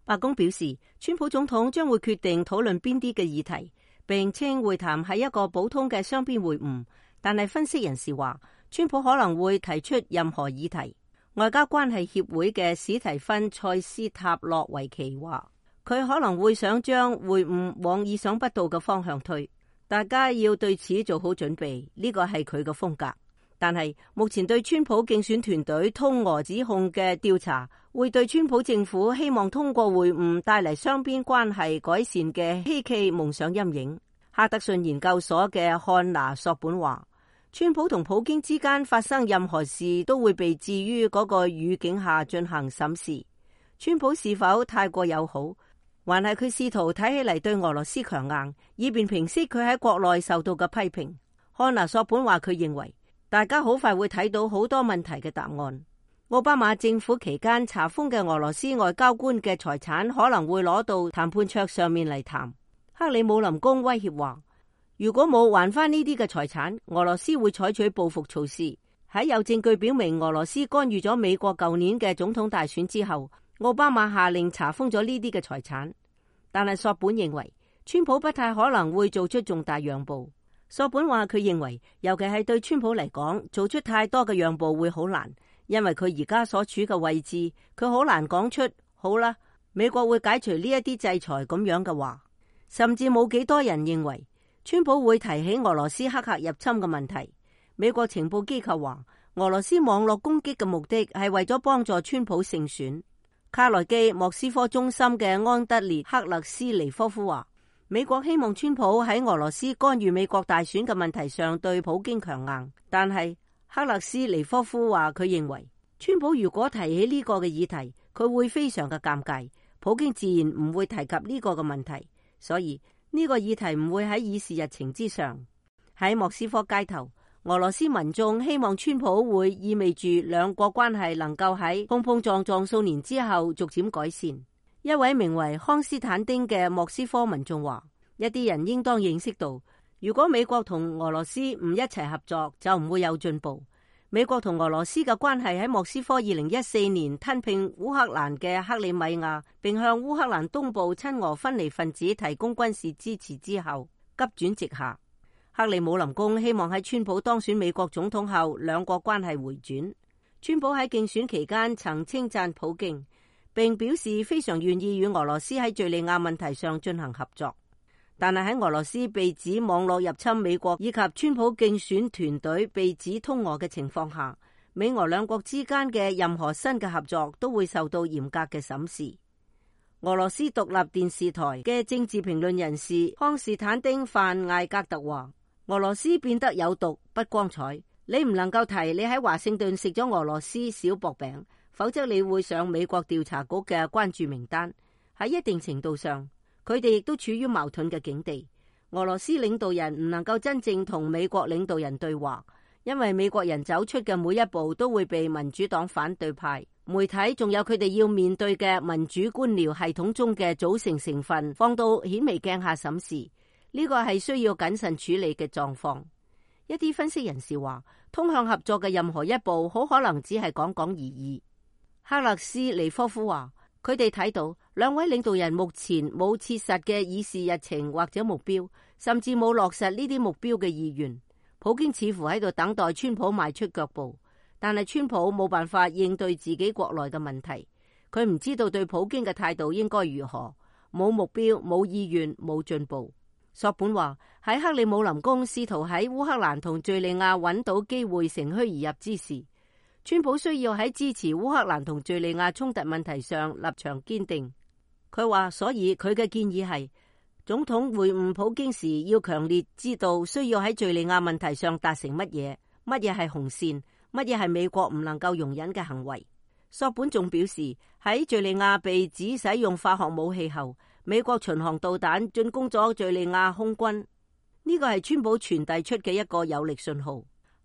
白宮表示，川普總統將會決定討論邊啲嘅議題，並稱會談係一個普通嘅雙邊會晤。但係分析人士話，川普可能會提出任何議題。外交關係協會嘅史提芬塞斯塔洛維奇話，佢可能會想將會晤往意想不到嘅方向推，大家要對此做好準備，呢個係佢嘅風格。但係目前對川普競選團隊通俄指控嘅調查，會對川普政府希望通過會晤帶嚟雙邊關係改善嘅希冀蒙上陰影。哈德遜研究所嘅漢娜索本話，川普同普京之間發生任何事都會被置於嗰個語境下進行審視。川普是否太過友好，還係佢試圖睇起嚟對俄羅斯強硬，以便平息佢喺國內受到嘅批評。漢娜索本話，佢認為大家好快會睇到好多問題嘅答案。奧巴馬政府期間查封嘅俄羅斯外交官嘅財產可能會攞到談判桌上面嚟談。克里姆林宮威脅話，如果冇還翻呢啲嘅財產，俄羅斯會採取報復措施。喺有證據表明俄羅斯干預咗美國舊年嘅總統大選之後，奧巴馬下令查封咗呢啲嘅財產。但係索本認為，川普不太可能會做出重大讓步。索本話，佢認為尤其係對川普嚟講，做出太多嘅讓步會好難，因為佢而家所處嘅位置，佢好難講出好啦，美國會解除呢一啲制裁咁樣嘅話。甚至冇幾多人認為川普會提起俄羅斯黑客入侵嘅問題。美國情報機構話，俄羅斯網絡攻擊嘅目的係為咗幫助川普勝選。卡內基莫斯科中心嘅安德烈克勒斯尼科夫話，美國希望川普喺俄羅斯干預美國大選嘅問題上對普京強硬，但係克勒斯尼科夫話，佢認為川普如果提起呢個嘅議題，佢會非常嘅尷尬，普京自然唔會提及呢個嘅問題，所以呢個議題唔會喺議事日程之上。喺莫斯科街頭，俄羅斯民眾希望川普會意味住兩國關係能夠喺碰碰撞撞數年之後逐漸改善。一位名為康斯坦丁嘅莫斯科民眾話，一啲人應當認識到，如果美國同俄羅斯唔一齊合作，就唔會有進步。美國同俄羅斯嘅關係喺莫斯科2014年吞併烏克蘭嘅克里米亞，並向烏克蘭東部親俄分離分子提供軍事支持之後，急轉直下。克里姆林宮希望喺川普當選美國總統後，兩國關係回轉。川普喺競選期間曾稱讚普京，並表示非常願意與俄羅斯喺敘利亞問題上進行合作。但係喺俄羅斯被指網絡入侵美國，以及川普競選團隊被指通俄嘅情況下，美俄兩國之間嘅任何新嘅合作都會受到嚴格嘅審視。俄羅斯獨立電視台嘅政治評論人士康斯坦丁范艾格特話，俄羅斯變得有毒不光彩，你唔能夠提你喺華盛頓食咗俄羅斯小薄餅，否則你會上美國調查局嘅關注名單。喺一定程度上，佢哋亦都處於矛盾嘅境地。俄羅斯領導人唔能夠真正同美國領導人對話，因為美國人走出嘅每一步都會被民主黨反對派、媒體仲有佢哋要面對嘅民主官僚系統中嘅組成成分放到顯微鏡下審視。呢個係需要謹慎處理嘅狀況。一啲分析人士話，通向合作嘅任何一步好可能只係講講而已。克勒斯尼科夫話，佢哋睇到兩位領導人目前冇切實嘅議事日程或者目標，甚至冇落實呢啲目標嘅意願。普京似乎喺度等待川普邁出腳步，但係川普冇辦法應對自己國內嘅問題。佢唔知道對普京嘅態度應該如何，冇目標、冇意願、冇進步。索本話，喺克里姆林宮試圖喺烏克蘭同敘利亞揾到機會乘虛而入之時，川普需要喺支持烏克蘭同敘利亞衝突問題上立場堅定。佢話，所以佢嘅建議係，總統會晤普京時要強烈知道需要喺敘利亞問題上達成乜嘢，乜嘢係紅線，乜嘢係美國唔能夠容忍嘅行為。索本仲表示，喺敘利亞被指使用化學武器後，美國巡航導彈進攻咗敘利亞空軍，呢個係川普傳遞出嘅一個有力信號。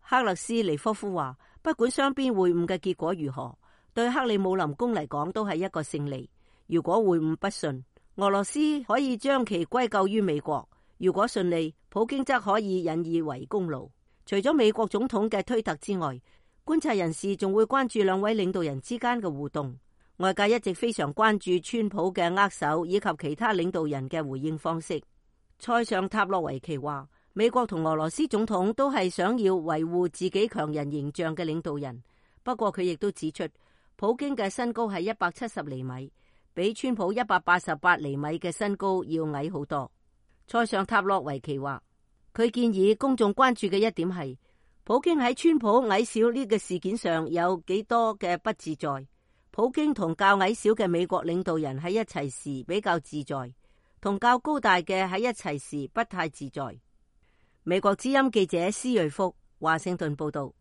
克勒斯尼科夫話，不管雙邊會晤嘅結果如何，對克里姆林宮嚟講都係一個勝利。如果會晤不順，俄羅斯可以將其歸咎於美國；如果順利，普京則可以引以為功勞。除咗美國總統嘅推特之外，觀察人士仲會關注兩位領導人之間嘅互動。外界一直非常關注川普嘅握手以及其他領導人嘅回應方式。塞尚塔洛維奇話，美國同俄羅斯總統都係想要維護自己強人形象嘅領導人，不過佢亦都指出，普京嘅身高係170厘米，比川普188厘米嘅身高要矮好多。塞尚塔洛維奇話，佢建議公眾關注嘅一點係，普京喺川普矮小呢個事件上有幾多嘅不自在。普京同較矮小嘅美國領導人喺一齊時比較自在，同較高大嘅喺一齊時不太自在。美國之音記者施瑞福華盛頓報道。